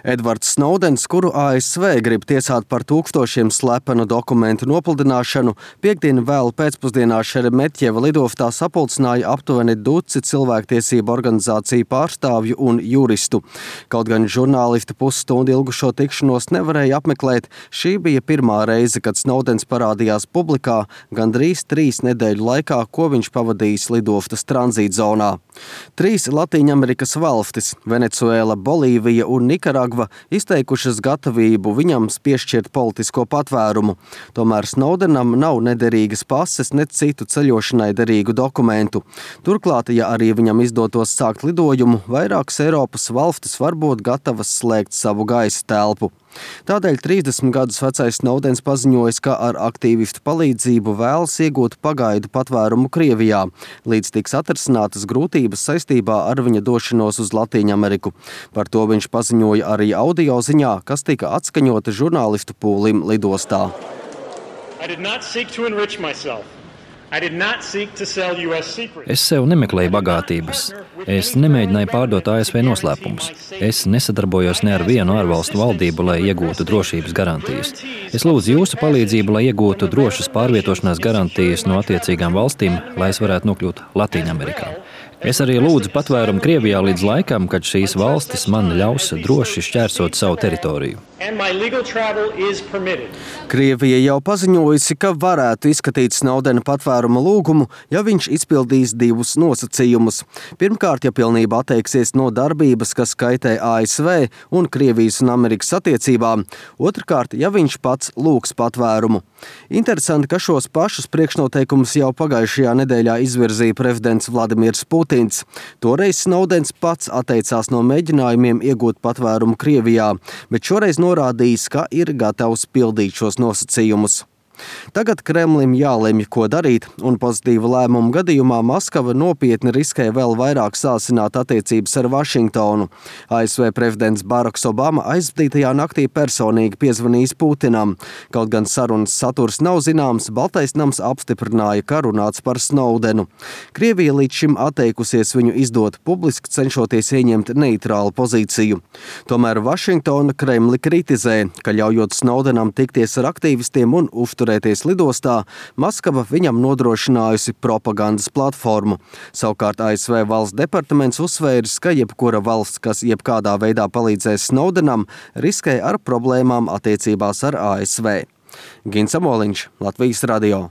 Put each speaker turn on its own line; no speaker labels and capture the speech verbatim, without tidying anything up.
Edvards Snowdens, kuru A S V grib tiesāt par tūkstošiem slepenu dokumentu nopludināšanu, piekdien vēl pēcpusdienā Šeremetjeva lidoftā sapulcināja aptuveni duci cilvēktiesību organizāciju pārstāvju un juristu. Kaut gan žurnālisti pusstundu ilgušo tikšanos nevarēja apmeklēt, šī bija pirmā reize, kad Snowdens parādījās publikā gandrīz trīs nedēļu laikā, ko viņš pavadījis lidoftas tranzītzonā. Trīs Latīņamerikas valstis – Venecuēla, Bolīvija un Nikaragva – izteikušas gatavību viņam piešķirt politisko patvērumu. Tomēr Snowdenam nav nederīgas pases, ne citu ceļošanai derīgu dokumentu. Turklāt, ja arī viņam izdotos sākt lidojumu, vairākas Eiropas valstis var būt gatavas slēgt savu gaisa telpu. Tādēļ trīsdesmit gadus vecais Snowdens paziņojis, ka ar aktīvistu palīdzību vēlas iegūt pagaidu patvērumu Krievijā, līdz tiks atrisinātas grūtības saistībā ar viņa došanos uz Latīņameriku. Par to viņš paziņoja arī audio ziņā, kas tika atskaņota žurnālistu pūlim lidostā.
I did not seek to enrich myself.
Es sev nemeklēju bagātības. Es nemēģināju pārdot A S V noslēpumus. Es nesadarbojos ne ar vienu ārvalstu valdību, lai iegūtu drošības garantijas. Es lūdzu jūsu palīdzību, lai iegūtu drošas pārvietošanās garantijas no attiecīgām valstīm, lai es varētu nokļūt Latīņamerikā. Es arī lūdzu patvērumu Krievijā līdz laikam, kad šīs valstis man ļaus droši šķērsot savu teritoriju.
Krievija jau paziņojusi, ka varētu izskatīt Snowdena patvēruma lūgumu, ja viņš izpildīs divus nosacījumus. Pirmkārt, ja pilnībā atteiksies no darbības, kas kaitē A S V un Krievijas un Amerikas attiecībām. Otrkārt, ja viņš pats lūgs patvērumu. Interesanti, ka šos pašus priekšnoteikumus jau pagājušajā nedēļā izvirzīja prezidents Vladimirs Putins. Toreiz Snowdens pats atteicās no mēģinājumiem iegūt patvērumu Krievijā, bet šoreiz norādījis, ka ir gatavs pildīt šos nosacījumus. Tagad Kremlim jālemj, ko darīt, un pozitīva lēmuma gadījumā Maskava nopietni riskē vēl vairāk sāsināt attiecības ar Vašingtonu. A S V prezidents Baraks Obama aizvadītajā naktī personīgi piezvanījis Putinam. Kaut gan sarunas saturs nav zināms, Baltais nams apstiprināja, ka runāts par Snowdenu. Krievija līdz šim atteikusies viņu izdot publiski, cenšoties ieņemt neitrālu pozīciju. Tomēr Vašingtona Kremli kritizē, ka ļaujot Snowdenam tikties ar aktīvistiem un uzturēt lidostā, Maskava viņam nodrošinājusi propagandas platformu. Savukārt A S V valsts departaments uzsvēris, ka jebkura valsts, kas jebkādā veidā palīdzēs Snowdenam, riskē ar problēmām attiecībās ar A S V. Gins Amoliņš, Latvijas radio.